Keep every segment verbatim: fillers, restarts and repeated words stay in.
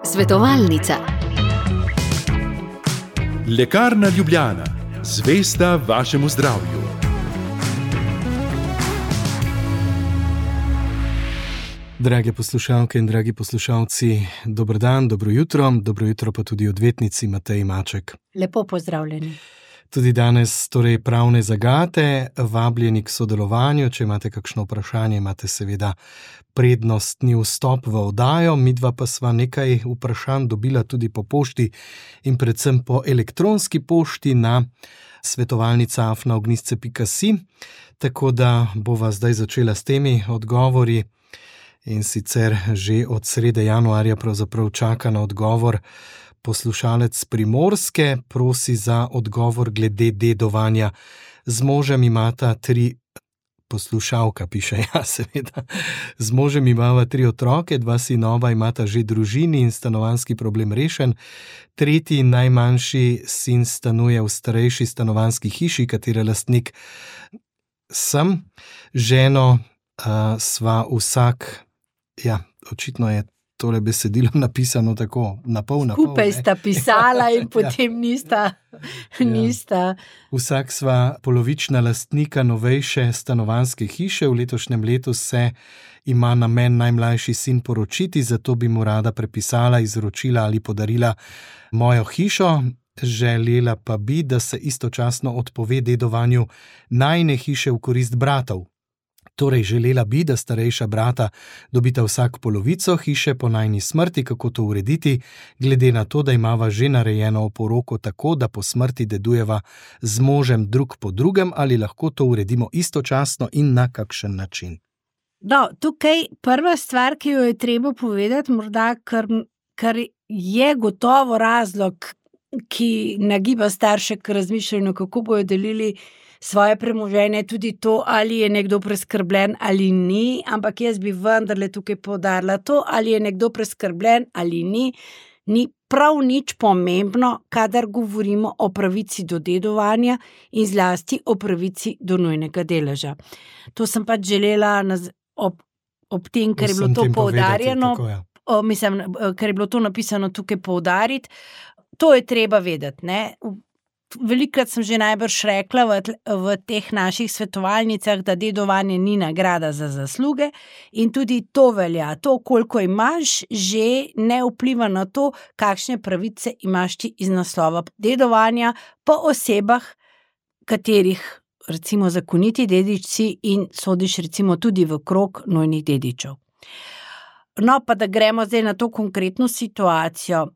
Svetovalnica. Lekarna Ljubljana, zvesta vašemu zdravju. Drage poslušalke in dragi poslušalci, dober dan, dobro jutro, dobro jutro pa tudi odvetnici Mateji Maček. Lepo pozdravljeni. Tudi danes torej pravne zagate, vabljeni k sodelovanju, če imate kakšno vprašanje, imate seveda prednostni vstop v oddajo, midva pa sva nekaj vprašanj dobila tudi po pošti in predvsem po elektronski pošti na svetovalnica afna ognjišče pika si, tako da bova zdaj začela s temi odgovori. In sicer že od srede januarja pravzaprav čaka na odgovor poslušalec Primorske, prosi za odgovor glede dedovanja. Z možem imata tri, poslušalka piše, ja seveda, z možem imava tri otroke, dva sinova imata že družini in stanovanjski problem rešen. Tretji najmanjši sin stanuje v starejši stanovanjski hiši, katere lastnik sem. Ženo uh, sva vsak, ja, očitno je tole besedilo napisano tako, na pol, na pol. Skupaj sta pisala in potem nista, nista. Ja. Vsak sva polovična lastnika novejše stanovanjske hiše, v letošnjem letu se ima namen najmlajši sin poročiti, zato bi mu rada prepisala, izročila ali podarila mojo hišo. Želela pa bi, da se istočasno odpove dedovanju najine hiše v korist bratov. Torej, želela bi, da starejša brata dobita vsak polovico hiše po najini smrti, kako to urediti, glede na to, da imava že narejeno oporoko tako, da po smrti dedujeva z možem drug po drugem, ali lahko to uredimo istočasno in na kakšen način. No, tukaj prva stvar, ki jo je treba povedati, morda, kar, kar je gotovo razlog, ki nagiba starše k razmišljanju, kako bojo delili svoje premoženje, tudi to, ali je nekdo preskrbljen ali ni, ampak jaz bi vendarle tukaj poudarila to, ali je nekdo preskrbljen ali ni, ni prav nič pomembno, kadar govorimo o pravici do dedovanja in zlasti o pravici do nujnega deleža. To sem pač želela naz, ob, ob tem, ker je bilo to poudarjeno, povedati, tako, ja. o, mislim, ker je bilo to napisano tukaj poudariti, to je treba vedeti, ne? Velikrat sem že najbrž rekla v, v teh naših svetovalnicah, da dedovanje ni nagrada za zasluge in tudi to velja. To, koliko imaš, že ne vpliva na to, kakšne pravice imaš ti iz naslova dedovanja po osebah, katerih recimo zakoniti dedičci in sodiš recimo tudi v krog nujnih dedičev. No, pa da gremo zdaj na to konkretno situacijo.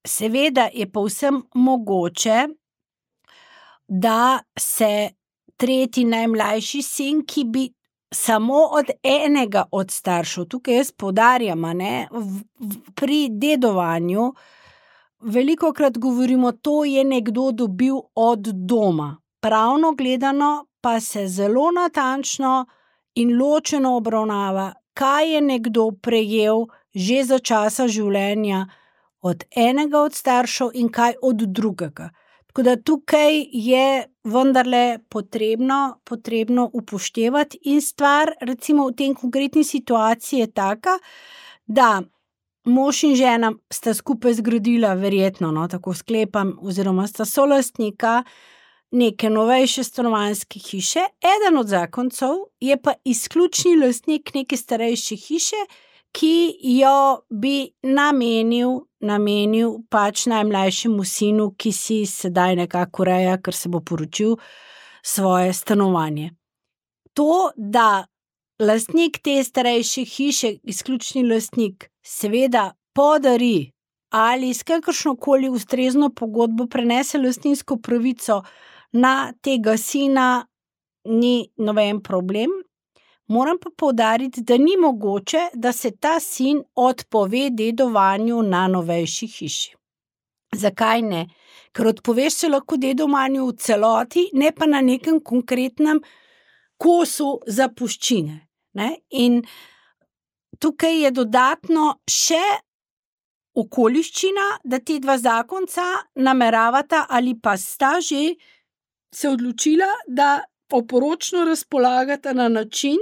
Seveda je povsem mogoče, da se tretji najmlajši sin, ki bi samo od enega od staršev, tukaj jaz poudarjam, ne, v, v, pri dedovanju, velikokrat govorimo, to je nekdo dobil od doma. Pravno gledano pa se zelo natančno in ločeno obravnava, kaj je nekdo prejel že za časa življenja od enega od staršev in kaj od drugega. Tako da tukaj je vendarle potrebno, potrebno upoštevati in stvar, recimo v tem konkretni situaciji je taka, da mož in žena sta skupaj zgradila verjetno, no, tako sklepam, oziroma sta solastnika neke novejše stanovanjske hiše, eden od zakoncev je pa izključni lastnik neke starejše hiše, ki jo bi namenil, namenil pač najmlajšemu sinu, ki si sedaj nekako ureja, ker se bo poročil, svoje stanovanje. To, da lastnik te starejše hiše, izključni lastnik, seveda podari ali s kakršnokoli ustrezno pogodbo prenese lastninsko pravico na tega sina, ni noben problem. Moram pa poudariti, da ni mogoče, da se ta sin odpove dedovanju na novejši hiši. Zakaj ne? Ker odpoveš se lahko dedovanju v celoti, ne pa na nekem konkretnem kosu zapuščine. Ne? In tukaj je dodatno še okoliščina, da ti dva zakonca nameravata ali pa sta že se odločila, da oporočno razpolagata na način,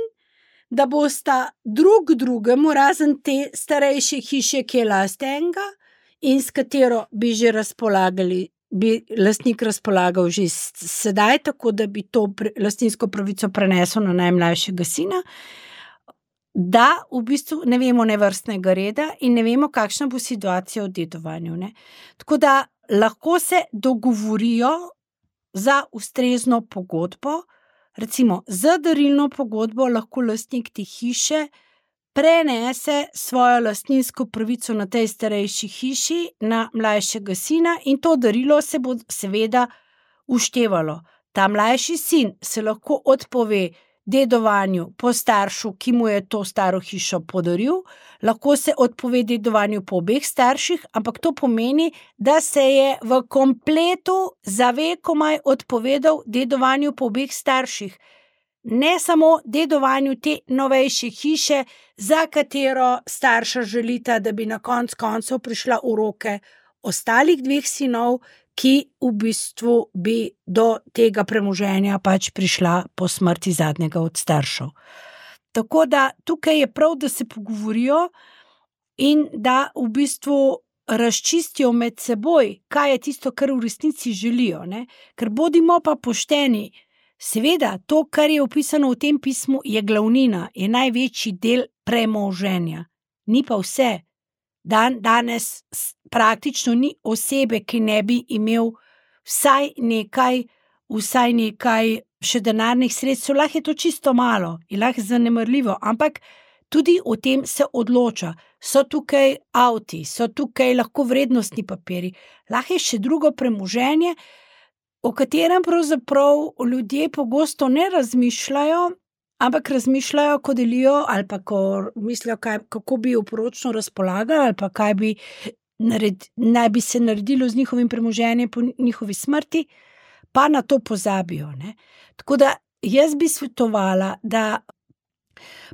da bosta drug drugemu, razen te starejše hiše, ki je last enega in s katero bi že razpolagali, bi lastnik razpolagal že sedaj, tako da bi to lastninsko pravico prenesel na najmlajšega sina, da v bistvu ne vemo nevrstnega reda in ne vemo, kakšna bo situacija v dedovanju. Ne? Tako da lahko se dogovorijo za ustrezno pogodbo, recimo za darilno pogodbo lahko lastnik te hiše prenese svojo lastninsko pravico na tej starejši hiši na mlajšega sina in to darilo se bo seveda uštevalo. Ta mlajši sin se lahko odpove dedovanju po staršu, ki mu je to staro hišo podaril, lahko se odpove dedovanju po obeh starših, ampak to pomeni, da se je v kompletu za vekomaj odpovedal dedovanju po obeh starših. Ne samo dedovanju te novejše hiše, za katero starša želita, da bi na konc koncev prišla v roke ostalih dveh sinov, ki v bistvu bi do tega premoženja pač prišla po smrti zadnjega od staršev. Tako da tukaj je prav, da se pogovorijo in da v bistvu razčistijo med seboj, kaj je tisto, kar v resnici želijo. Ne? Ker bodimo pa pošteni, seveda to, kar je opisano v tem pismu, je glavnina, je največji del premoženja. Ni pa vse. Dan, danes praktično ni osebe, ki ne bi imel vsaj nekaj, vsaj nekaj še denarnih sredstev, lahko je to čisto malo in lahko je zanemarljivo, ampak tudi o tem se odloča. So tukaj avti, so tukaj lahko vrednostni papiri, lahko je še drugo premoženje, o katerem pravzaprav ljudje pogosto ne razmišljajo, ampak razmišljajo, ko delijo ali pa ko mislijo, kaj, kako bi oporočno razpolagali ali pa kaj bi nared, naj bi se naredilo z njihovim premoženjem po njihovi smrti, pa na to pozabijo. Ne? Tako da jaz bi svetovala, da,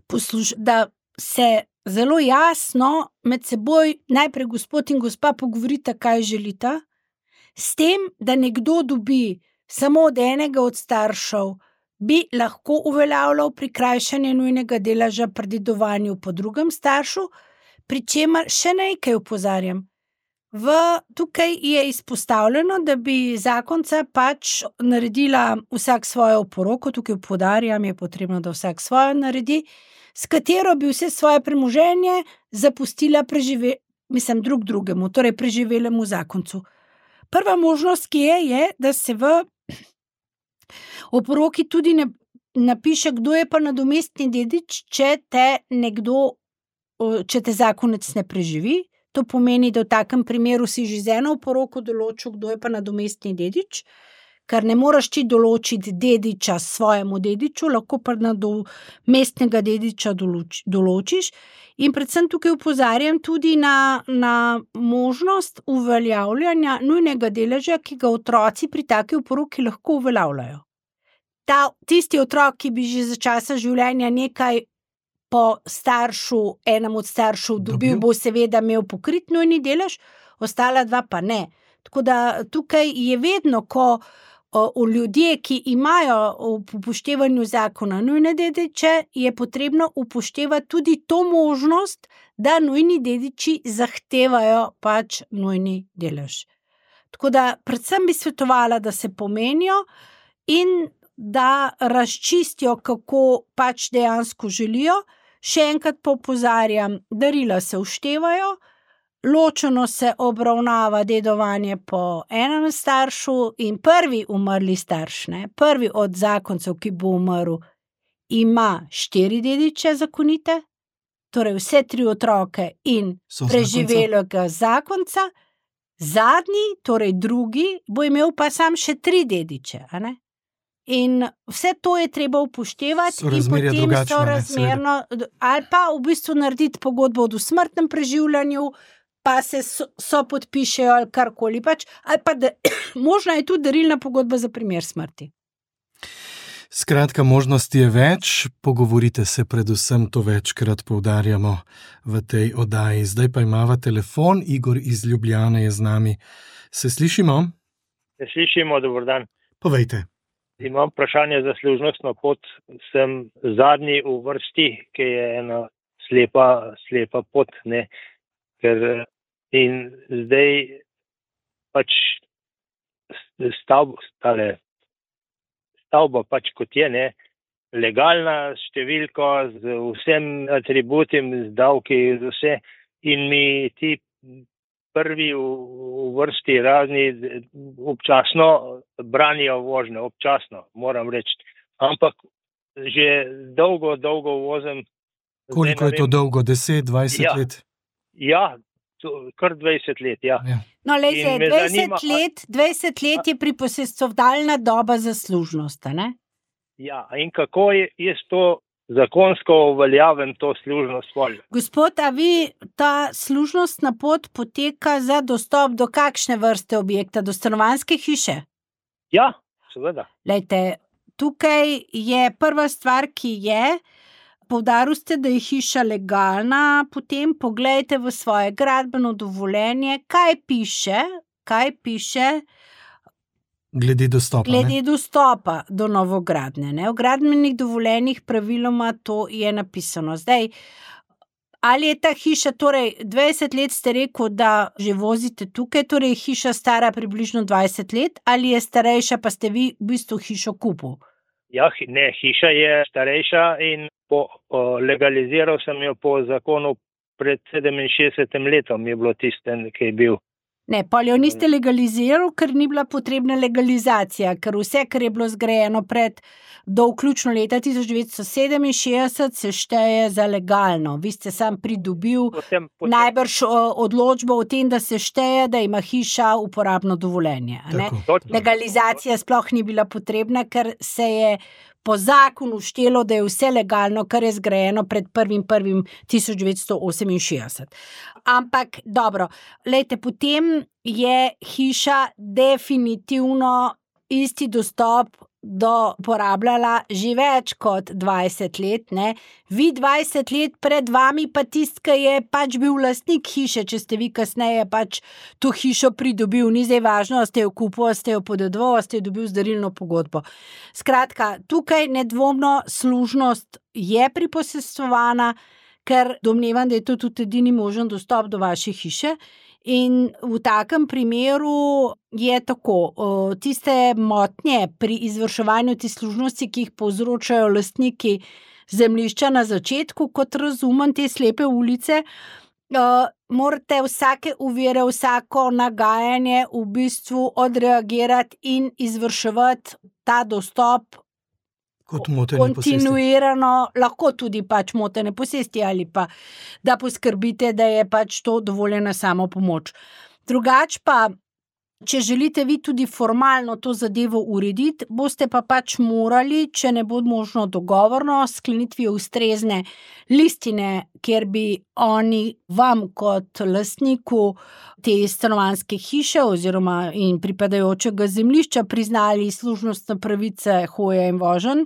posluž, da se zelo jasno med seboj najprej gospod in gospa pogovorita, kaj želita, s tem, da nekdo dobi samo od enega od staršev, bi lahko uveljavljal prikrajšanje nujnega deleža pri dedovanju po drugem staršu, pri čemer še nekaj opozarjam. V, tukaj je izpostavljeno, da bi zakonca pač naredila vsak svojo oporoko, tukaj poudarjam, je potrebno, da vsak svojo naredi, s katero bi vse svoje premoženje zapustila prežive, mislim, drug drugemu, torej preživelemu zakoncu. Prva možnost, ki je, je, da se v oporoki tudi ne napiše, kdo je pa nadomestni dedič, če te nekdo, če te zakonec ne preživi. To pomeni, da v takem primeru si že z eno oporoko določil, kdo je pa nadomestni dedič, ker ne moraš ti določiti dediča svojemu dediču, lahko pa nadomestnega dediča določ, določiš. In predvsem tukaj opozarjam tudi na, na možnost uveljavljanja nujnega deleža, ki ga otroci pri taki oporoki lahko uveljavljajo. Ta, tisti otrok, ki bi že za časa življenja nekaj po staršu, enem od staršev dobil, dobil, bo seveda imel pokrit nujni delež, ostala dva pa ne. Tako da tukaj je vedno, ko o, o ljudje, ki imajo v upoštevanju zakona nujne dediče, je potrebno upoštevati tudi to možnost, da nujni dediči zahtevajo pač nujni delež. Tako da predvsem bi svetovala, da se pomenijo in da razčistijo, kako pač dejansko želijo. Še enkrat pa opozarjam, darila se uštevajo, ločeno se obravnava dedovanje po enem staršu in prvi umrli starš, ne, prvi od zakoncev, ki bo umrl, ima štiri dediče zakonite, torej vse tri otroke in preživelega zakonca, zadnji, torej drugi, bo imel pa sam še tri dediče, a ne? In vse to je treba upoštevati in potem so razmerno, ali pa v bistvu narediti pogodbo o dosmrtnem preživljanju, pa se so, so podpišejo ali karkoli pač, ali pa da, možna je tudi darilna pogodba za primer smrti. Skratka, možnosti je več, pogovorite se, predvsem to večkrat poudarjamo v tej oddaji. Zdaj pa imava telefon, Igor iz Ljubljane je z nami. Se slišimo? Se slišimo, dober dan. Povejte. Imam vprašanje za služnostno pot. Sem zadnji v vrsti, ki je ena slepa, slepa pot, ne. Ker in zdaj pač stavba, stale, stavba pač kot je, ne. Legalna številka z vsem atributim, z davki, z vse. In mi ti prvi v, v vrsti razni občasno branijo vožnjo, občasno, moram reči. Ampak že dolgo, dolgo vozim. Koliko je to dolgo? deset, dvajset Ja. let? Ja, to, kar dvajset let, ja. Ja. No, lejte, In me dvajset zanima, a- let, dvajset let je priposestovalna doba za služnost, a ne? Ja, in kako je, je to zakonsko uveljavljen to služnost pol? Gospod, a vi ta služnostna pot poteka za dostop do kakšne vrste objekta? Do stanovanjske hiše? Ja, seveda. Lejte, tukaj je prva stvar, ki je, poudarili ste, da je hiša legalna, potem poglejte v svoje gradbeno dovoljenje, kaj piše, kaj piše Glede dostopa, ne? glede dostopa do novogradnje. Ne? V gradbenih dovoljenjih praviloma to je napisano. Zdaj, ali je ta hiša, torej dvajset let ste rekel, da že vozite tukaj, torej je hiša stara približno dvajset let, ali je starejša, pa ste vi v bistvu hišo kupil? Ja, hi- ne, hiša je starejša in po, o, legaliziral sem jo po zakonu pred sedeminšestdesetim letom je bilo tiste, ki je bil. Ne, pol jo niste legalizirali, ker ni bila potrebna legalizacija, ker vse, kar je bilo zgrajeno pred do vključno leta tisoč devetsto sedeminšestdeset, se šteje za legalno. Vi ste sam pridobil Potem, potem, najbrž o, odločbo o tem, da se šteje, da ima hiša uporabno dovoljenje. a ne? Tako. točno. Legalizacija sploh ni bila potrebna, ker se je po zakonu štelo, da je vse legalno, kar je zgrajeno pred prvim prvim tisoč devetsto oseminšestdeset. Ampak dobro, lejte, potem je hiša definitivno isti dostop do porabljala že več kot dvajset let, ne. Vi dvajset let pred vami pa tisti, ki je pač bil lastnik hiše, če ste vi kasneje pač to hišo pridobil, ni zdaj važno, a ste jo kupil, a ste jo podedoval, a ste jo dobil z darilno pogodbo. Skratka, tukaj nedvomno služnost je priposestvovana, ker domnevam, da je to tudi edini možen dostop do vaše hiše. In v takem primeru je tako, o, tiste motnje pri izvrševanju te služnosti, ki jih povzročajo lastniki zemljišča na začetku, kot razumem te slepe ulice, o, morate vsake ovire, vsako nagajanje v bistvu odreagirati in izvrševati ta dostop Kot motene posesti. kontinuirano, lahko tudi pač motene posesti ali pa da poskrbite, da je pač to dovoljena samopomoč. Drugač pa, če želite vi tudi formalno to zadevo urediti, boste pa pač morali, če ne bo možno dogovorno, sklenitvijo ustrezne listine, kjer bi oni vam kot lastniku te stanovanjske hiše oziroma in pripadajočega zemljišča priznali služnostne pravice hoje in voženj,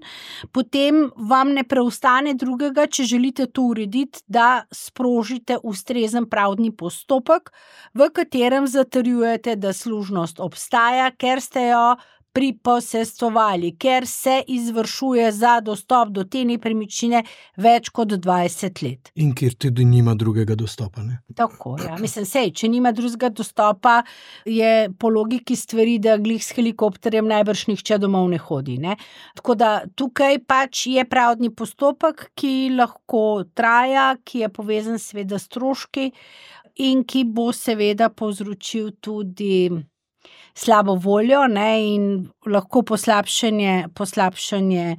potem vam ne preostane drugega, če želite to urediti, da sprožite ustrezen pravdni postopek, v katerem zatrjujete, da služnost obstaja, ker ste jo priposestvovali, ker se izvršuje za dostop do te nepremičnine več kot dvajset let. In kjer tudi nima drugega dostopa, ne? Tako, ja. Mislim, sej, če nima drugega dostopa, je po logiki stvari, da glih s helikopterjem najbrž nihče domov ne hodi, ne. Tako da tukaj pač je pravdni postopek, ki lahko traja, ki je povezan seveda s stroški in ki bo seveda povzročil tudi slabo voljo, ne, in lahko poslabšanje, poslabšanje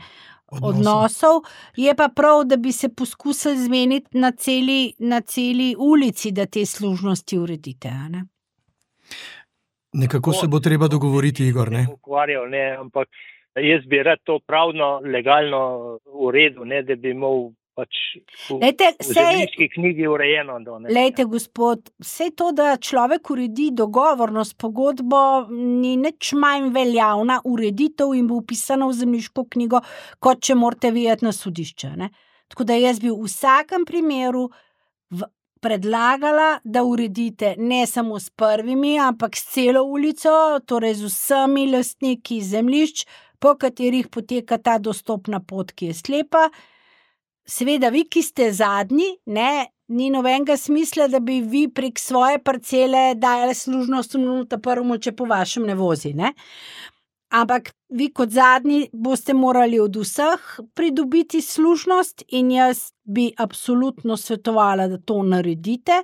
Odnosov. odnosov. Je pa prav, da bi se poskusili zmeniti na celi, na celi ulici, da te služnosti uredite, a ne. Nekako se bo treba dogovoriti, Igor, ne? Ukvarjal, ne, ampak jaz bi rad to pravno, legalno uredil, ne, da bi imel pač v, Lejte, v sej, zemljiški knjigi urejeno. Do, ne. lejte, gospod, vse to, da človek uredi dogovorno s pogodbo, ni nič manj veljavna ureditev in bo vpisana v zemljiško knjigo, kot če morate vi iti na sodišče, ne. Tako da jaz bi v vsakem primeru v, predlagala, da uredite ne samo s prvimi, ampak s celo ulico, torej z vsemi lastniki zemljišč, po katerih poteka ta dostopna pot, ki je slepa. Seveda, vi, ki ste zadnji, ne, ni nobenega smisla, da bi vi prek svoje parcele dajali služnost ta prvemu, če po vašem ne vozi, ne. Ampak vi kot zadnji boste morali od vseh pridobiti služnost in jaz bi absolutno svetovala, da to naredite.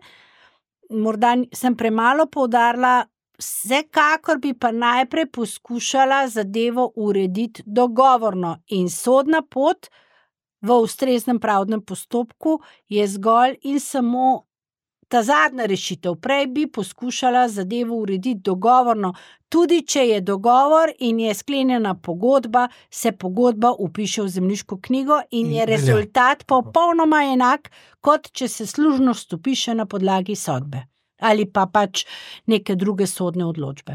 Morda sem premalo poudarila, vsekakor bi pa najprej poskušala zadevo urediti dogovorno in sodna pot v ustreznem pravdnem postopku je zgolj in samo ta zadnja rešitev. Prej bi poskušala zadevo urediti dogovorno. Tudi če je dogovor in je sklenjena pogodba, se pogodba vpiše v zemljiško knjigo in je rezultat popolnoma enak, kot če se služnost vpiše na podlagi sodbe ali pa pač neke druge sodne odločbe.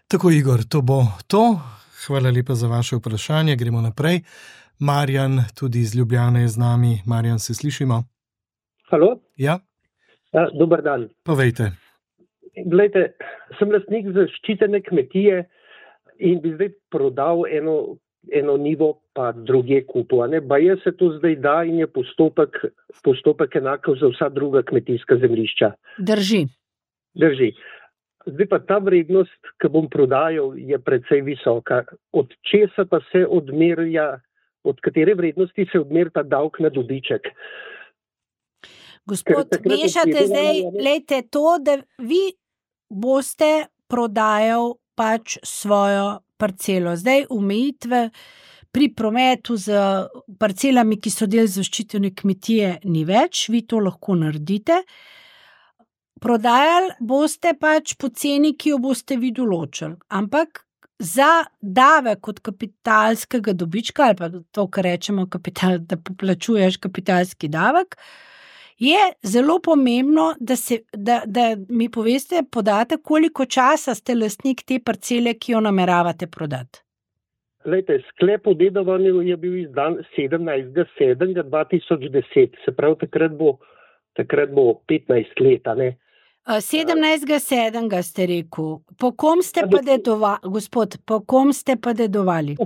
Tako, Igor, to bo to. Hvala lepa za vaše vprašanje. Gremo naprej. Marjan, tudi iz Ljubljane je z nami. Marjan, se slišimo? Halo? Ja? Ja, dober dan. Povejte. Glejte, sem lastnik zaščitene kmetije in bi zdaj prodal eno, eno nivo pa druge kupu. Baje se to zdaj da in je postopek, postopek enako za vsa druga kmetijska zemljišča. Drži. Drži. Zdaj pa ta vrednost, ki bom prodajal, je precej visoka. Od česa pa se odmerja, od katere vrednosti se odmerja ta davek na dobiček? Gospod, mešate zdaj, lejte to, da vi boste prodajal pač svojo parcelo. Zdaj omejitve pri prometu z parcelami, ki so del zaščitene kmetije, ni več, vi to lahko naredite. Prodajali boste pač po ceni, ki jo boste vi določili. Ampak za davek od kapitalskega dobička, ali pa to, kar rečemo, kapital, da poplačuješ kapitalski davek, je zelo pomembno, da, se, da, da mi poveste, podate, koliko časa ste lastnik te parcele, ki jo nameravate prodati. Lejte, sklep o dedovanju je bil izdan sedemnajstega sedmega dva tisoč deset, se pravi, takrat bo, takrat bo petnajst let, ne? sedemnajstega sedmega ste rekel. Po kom ste pa dedovali, gospod, po kom ste pa dedovali?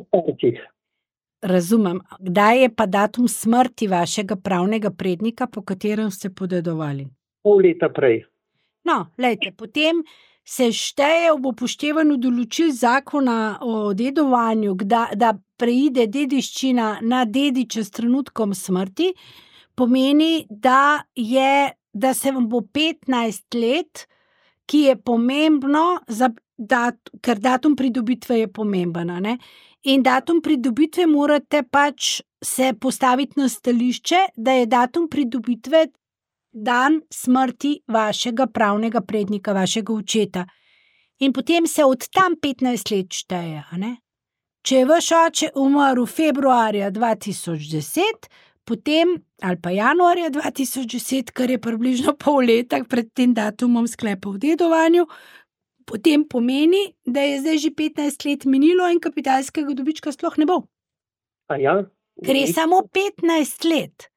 Razumem. Kdaj je pa datum smrti vašega pravnega prednika, po katerem ste podedovali? Pol leta prej. No, lejte, potem se šteje ob upoštevanju določil zakona o dedovanju, da, da preide dediščina na dediče s trenutkom smrti, pomeni, da je da se vam bo petnajst let, ki je pomembno, za dat, ker datum pridobitve je pomemben, ne? In datum pridobitve morate pač se postaviti na stališče, da je datum pridobitve dan smrti vašega pravnega prednika, vašega očeta. In potem se od tam petnajst let šteje, ne? Če je vaš oče umrl februarja dva tisoč deset, potem, ali pa januarja dva tisoč deset, kar je približno pol leta pred tem datumom sklepa o dedovanju, potem pomeni, da je zdaj že petnajst let minilo in kapitalskega dobička sploh ne bo. A ja? Ker je samo petnajst let.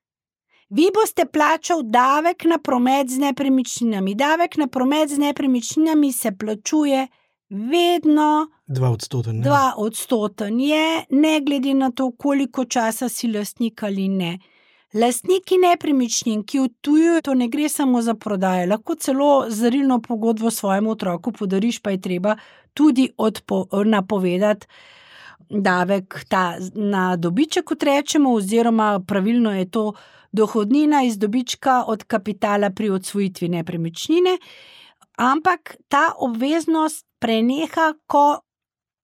Vi boste plačal davek na promet z nepremičninami. Davek na promet z nepremičninami se plačuje vedno Dva odstoten. Dva odstoten je, ne glede na to, koliko časa si lastnik ali ne. Lastniki nepremičnin, ki odtujujo, to ne gre samo za prodajo, lahko celo zarilno pogodbo svojemu otroku podariš, pa je treba tudi odpo, napovedati davek ta, na dobiček, kot rečemo, oziroma pravilno je to dohodnina iz dobička od kapitala pri odsvojitvi nepremičnine, ampak ta obveznost preneha, ko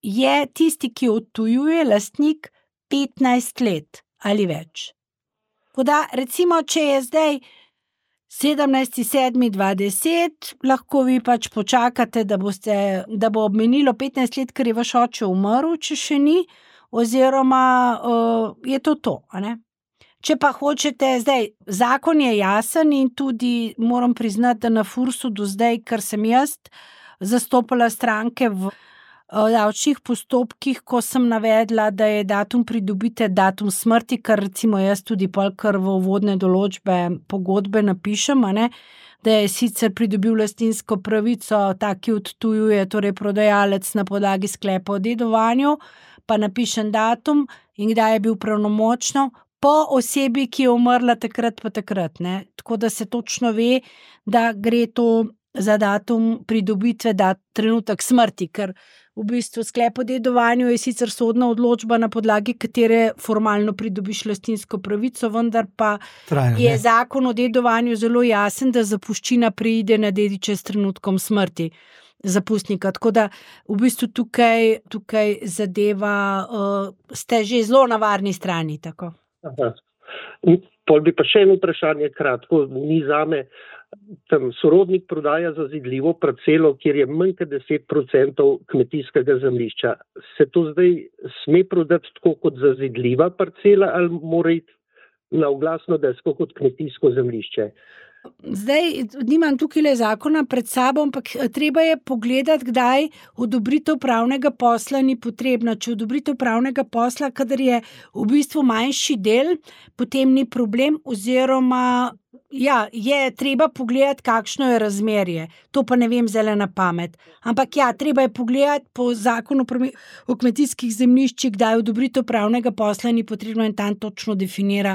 je tisti, ki odtujuje, lastnik petnajst let ali več. Koda, recimo, če je zdaj sedemnajstega sedmega dva tisoč deset, lahko vi pač počakate, da, boste, da bo obmenilo petnajst let, ker je vaš oče umrl, če še ni, oziroma uh, je to to, a ne? Če pa hočete, zdaj, zakon je jasen in tudi moram priznati, da na Fursu do zdaj, ker sem jaz zastopala stranke v davčnih postopkih, ko sem navedla, da je datum pridobite datum smrti, kar recimo jaz tudi pol kar v uvodne določbe pogodbe napišem, ne, da je sicer pridobil lastninsko pravico, ta, ki odtujuje, torej prodajalec na podlagi sklepa o dedovanju, pa napišem datum in kdaj je bil pravnomočno, po osebi, ki je umrla takrat pa takrat. Ne? Tako da se točno ve, da gre to za datum pridobitve, da trenutek smrti, ker v bistvu sklep o dedovanju je sicer sodna odločba, na podlagi katere formalno pridobiš lastninsko pravico, vendar pa Traja, je ne? zakon o dedovanju zelo jasen, da zapuščina preide na dediče s trenutkom smrti zapustnika. Tako da v bistvu tukaj, tukaj zadeva, uh, ste že zelo na varni strani. Tako. Aha. In pol bi pa še eno vprašanje kratko, ni zame. Tam sorodnik prodaja zazidljivo parcelo, kjer je manj kot deset procentov kmetijskega zemljišča. Se to zdaj sme prodati tako kot zazidljiva parcela ali mora iti na oglasno desko kot kmetijsko zemljišče? Zdaj, nimam tukaj le zakona pred sabo, ampak treba je pogledati, kdaj odobritev pravnega posla ni potrebna. Če odobritev pravnega posla, kadar je v bistvu manjši del, potem ni problem, oziroma ja, je treba pogledati, kakšno je razmerje. To pa ne vem zdaj na pamet. Ampak ja, treba je pogledati po zakonu o kmetijskih zemljiščih, kdaj odobritev pravnega posla ni potrebno in tam točno definira,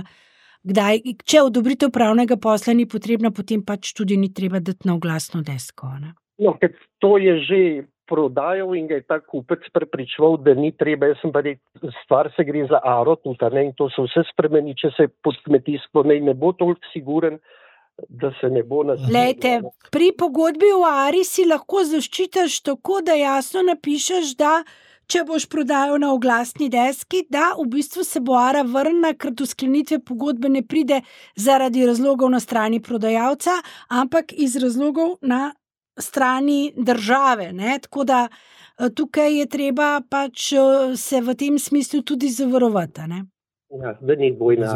kdaj, če odobritev pravnega posla ni potrebna, potem pač tudi ni treba dati na oglasno desko. Ne? No, ker to je že prodajal in ga je ta kupec prepričval, da ni treba. Jaz sem pa rekel, stvar se gre za aro tudi, ne, in to se vse spremeni, če se pod kmetijstvo ne, ne bo toliko siguren, da se ne bo nas... Lejte, pri pogodbi v Ari si lahko zaščitaš tako, da jasno napišeš, da če boš prodajal na oglasni deski, da v bistvu se bo Ara vrnila, ker do sklenitve pogodbe ne pride zaradi razlogov na strani prodajalca, ampak iz razlogov na strani države. Ne? Tako da tukaj je treba pač se v tem smislu tudi zavarovati. Ne? Ja, da ni dvojna.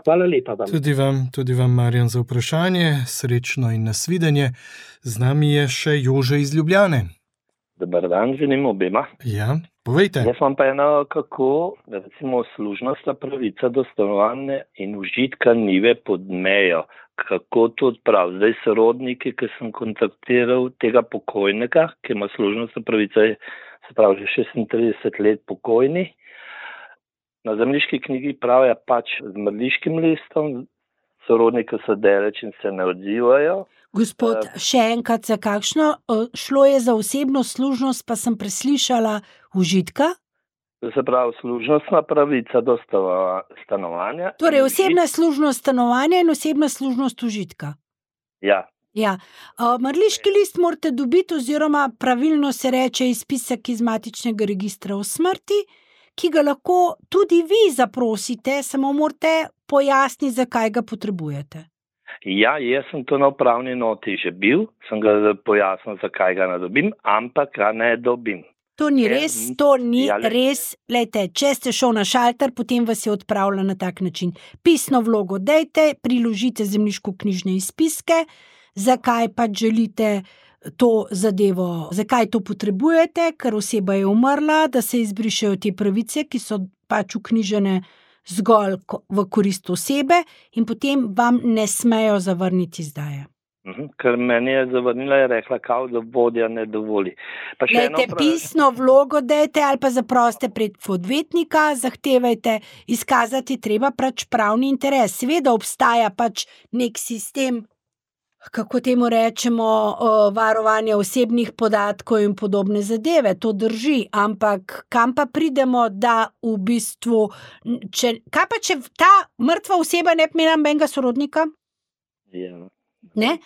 Hvala lepa vam. Tudi vam, tudi vam, Marjan, za vprašanje. Srečno in nasvidenje. Z nami je še Jože iz Ljubljane. Dobar dan, želim obema. Ja, povejte. Jaz vam pa eno, kako recimo služnostna pravica do stanovanja in užitka njive pod mejo. Kako to odprav? Zdaj sorodniki, ki sem kontaktiral tega pokojnega, ki ima služnostna pravica, se pravi že šestintrideset let pokojni. Na zemljiški knjigi pravijo pač z mrliškim listom, sorodniki so daleč in se ne odzivajo. Gospod, še enkrat za kakšno? Šlo je za osebno služnost, pa sem preslišala užitka? Se pravi, služnostna pravica do stanovanja. Torej, osebna služnost stanovanja in osebna služnost užitka. Ja. Ja. Mrliški list morate dobiti, oziroma pravilno se reče izpisek iz matičnega registra o smrti, ki ga lahko tudi vi zaprosite, samo morate pojasniti, zakaj ga potrebujete. Ja, jaz sem to na upravni noti že bil, sem ga pojasnil, zakaj ga ne dobim, ampak ga ne dobim. To ni res, to ni res. Lejte, če ste šel na šalter, potem vas je odpravila na tak način. Pisno vlogo dejte, priložite zemljiško-knjižne izpiske, zakaj pač želite to zadevo, zakaj to potrebujete, ker oseba je umrla, da se izbrišejo te pravice, ki so pač vknjižene zgolj v korist osebe in potem vam ne smejo zavrniti izdaje. Ker meni je zavrnila, je rekla, kao, da vodja ne dovoli. Lejte, pisno vlogo dejte ali pa zaproste prek odvetnika, zahtevajte, izkazati treba pač pravni interes. Seveda obstaja pač nek sistem, kako temu rečemo, varovanja osebnih podatkov in podobne zadeve, to drži, ampak kam pa pridemo, da v bistvu, če, kaj pa če ta mrtva oseba ne bi imela nobenega sorodnika? Ja. Ne?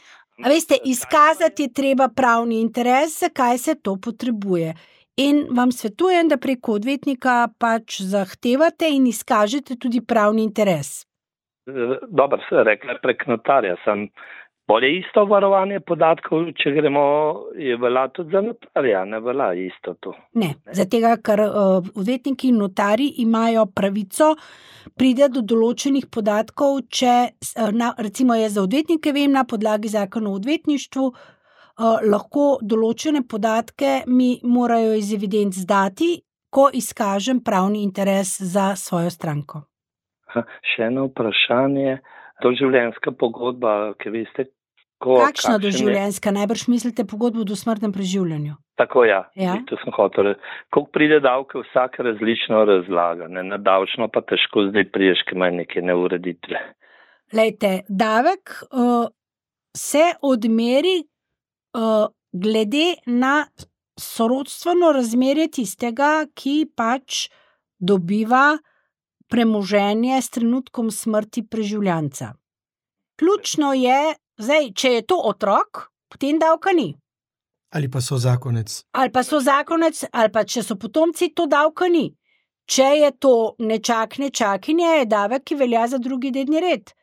A veste, izkazati je treba pravni interes, zakaj se to potrebuje. In vam svetujem, da preko odvetnika pač zahtevate in izkažete tudi pravni interes. Dobro, se rekla prek notarja, sem bolje isto varovanje podatkov, če gremo, je velja tudi za notarja, ne velja isto to. Ne, ne? Zatega, ker uh, odvetniki in notari imajo pravico pride do določenih podatkov, če, na, recimo jaz za odvetnike vem, na podlagi zakona o odvetništvu, uh, lahko določene podatke mi morajo iz evidenc dati, ko izkažem pravni interes za svojo stranko. Ha, še eno vprašanje, to življenjska pogodba, ki veste, Kako, kakšna doživljenjska? Najbrž mislite pogodbo o dosmrtnem preživljanju. Tako ja, ja. To sem hotel reči. Koliko pride davke, vsak različno razlaga, ne? Na davčno pa težko zdaj priješ, ki ima neke neureditve. Lejte, davek uh, se odmeri uh, glede na sorodstveno razmerje tistega, ki pač dobiva premoženje s trenutkom smrti preživljanca. Ključno je, zdaj, če je to otrok, potem davka ni. Ali pa so zakonec. Ali pa so zakonec, ali pa če so potomci, to davka ni. Če je to nečak, nečakinje, je davek, ki velja za drugi dedni red.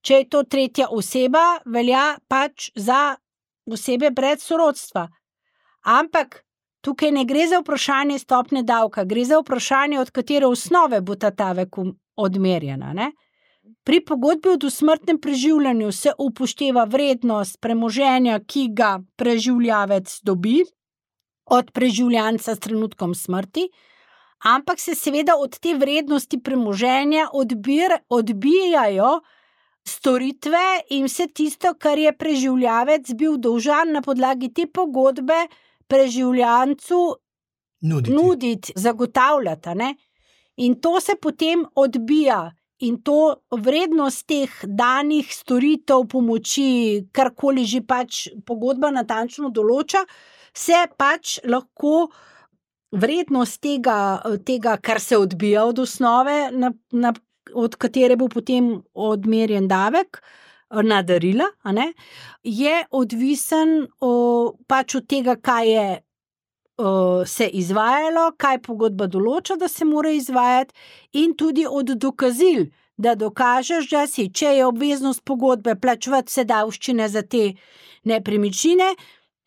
Če je to tretja oseba, velja pač za osebe brez sorodstva. Ampak tukaj ne gre za vprašanje stopnje davka, gre za vprašanje, od katere osnove bo ta davek odmerjena, ne? Pri pogodbi o dosmrtnem preživljanju se upošteva vrednost premoženja, ki ga preživljavec dobi od preživljanca s trenutkom smrti, ampak se seveda od te vrednosti premoženja odbir, odbijajo storitve in vse tisto, kar je preživljavec bil dolžan na podlagi te pogodbe preživljancu Nuditi. nuditi, zagotavljati, ne? In to se potem odbija. In to vrednost teh danih storitev, pomoči, karkoli že pač pogodba natančno določa, se pač lahko vrednost tega, tega kar se odbija od osnove, na, na, od katere bo potem odmerjen davek, na darila, a ne, je odvisen o, pač od tega, kaj je o, se izvajalo, kaj pogodba določa, da se mora izvajati, in tudi od dokazil, da dokažeš, da si, če je obveznost pogodbe plačevati vse davščine za te nepremičnine,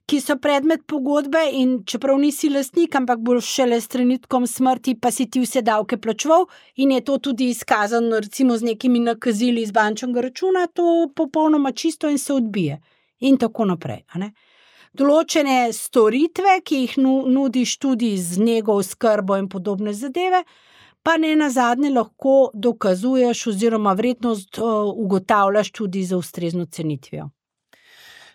ki so predmet pogodbe, in čeprav nisi lastnik, ampak boš šele s trenutkom smrti, pa si ti vse davke plačeval in je to tudi izkazano recimo z nekimi nakazili iz bančnega računa, to popolnoma čisto in se odbije. In tako naprej, a ne? Določene storitve, ki jih nudiš tudi z nego, skrbo in podobne zadeve, pa ne nazadnje lahko dokazuješ oziroma vrednost ugotavljaš tudi za ustrezno cenitvijo.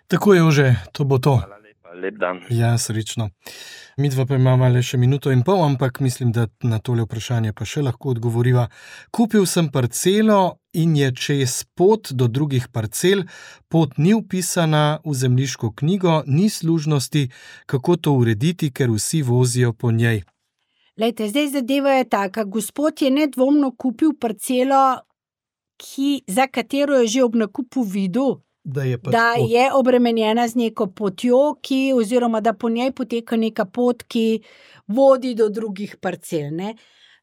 Tako je, Jože, to bo to. Hvala lepa, lep dan. Ja, srečno. Midva pa imamo le še minuto in pol, ampak mislim, da na tole vprašanje pa še lahko odgovoriva. Kupil sem parcelo in je čez pot do drugih parcel, pot ni vpisana v zemljiško knjigo, ni služnosti, kako to urediti, ker vsi vozijo po njej. Lejte, zdaj zadeva je taka, gospod je nedvomno kupil parcelo, ki, za katero je že ob nakupu videl, Da je, da je obremenjena z neko potjo, ki, oziroma da po njej poteka neka pot, ki vodi do drugih parcel, ne.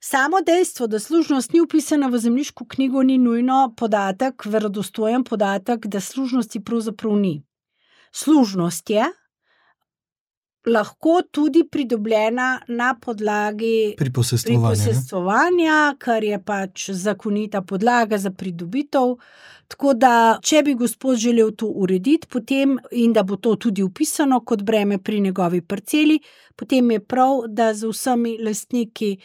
Samo dejstvo, da služnost ni vpisana v zemljiško knjigo, ni nujno podatek, verodostojen podatek, da služnosti pravzaprav ni. Služnost je lahko tudi pridobljena na podlagi priposestvovanja, kar je pač zakonita podlaga za pridobitev. Tako da, če bi gospod želel to urediti, potem, in da bo to tudi vpisano kot breme pri njegovi parceli, potem je prav, da z vsemi lastniki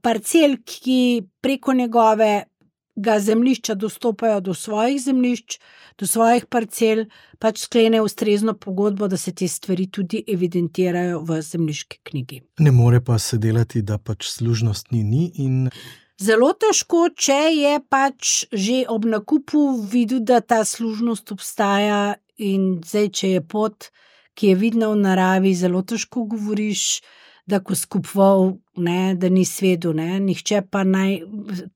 parcel, ki preko njegovega zemljišča dostopajo do svojih zemljišč, do svojih parcel, pač sklene ustrezno pogodbo, da se te stvari tudi evidentirajo v zemljiški knjigi. Ne more pa se delati, da pač služnost ni ni in... Zelo težko, če je pač že ob nakupu videl, da ta služnost obstaja, in zdaj, če je pot, ki je vidna v naravi, zelo težko govoriš, da ko skupoval, ne, da ni svedu, ne, nihče pa naj,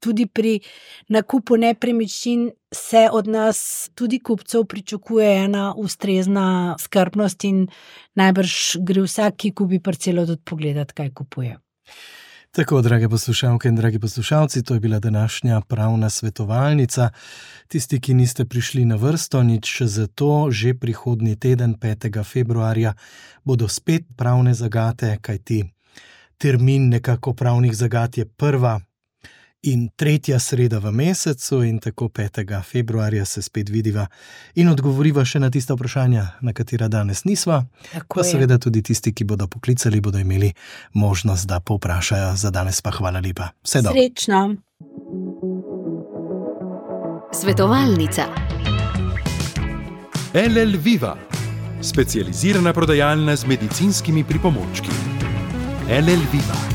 tudi pri nakupu nepremičnin se od nas, tudi kupcev, pričakuje ena ustrezna skrbnost in najbrž gre vsak, ki kupi parcelo, tudi pogledati, kaj kupuje. Tako, drage poslušalke in dragi poslušalci, to je bila današnja pravna svetovalnica. Tisti, ki niste prišli na vrsto, nič zato, že prihodnji teden, petega februarja, bodo spet pravne zagate, kajti termin nekako pravnih zagat je prva in tretja sreda v mesecu, in tako petega februarja se spet vidiva in odgovoriva še na tista vprašanja, na katera danes nisva. Tako pa je. Seveda tudi tisti, ki bodo poklicali, bodo imeli možnost, da povprašajo. Za danes pa hvala lepa. Vse dobro. Srečno. Svetovalnica. L L Viva, specializirana prodajalna z medicinskimi pripomočki. L L Viva.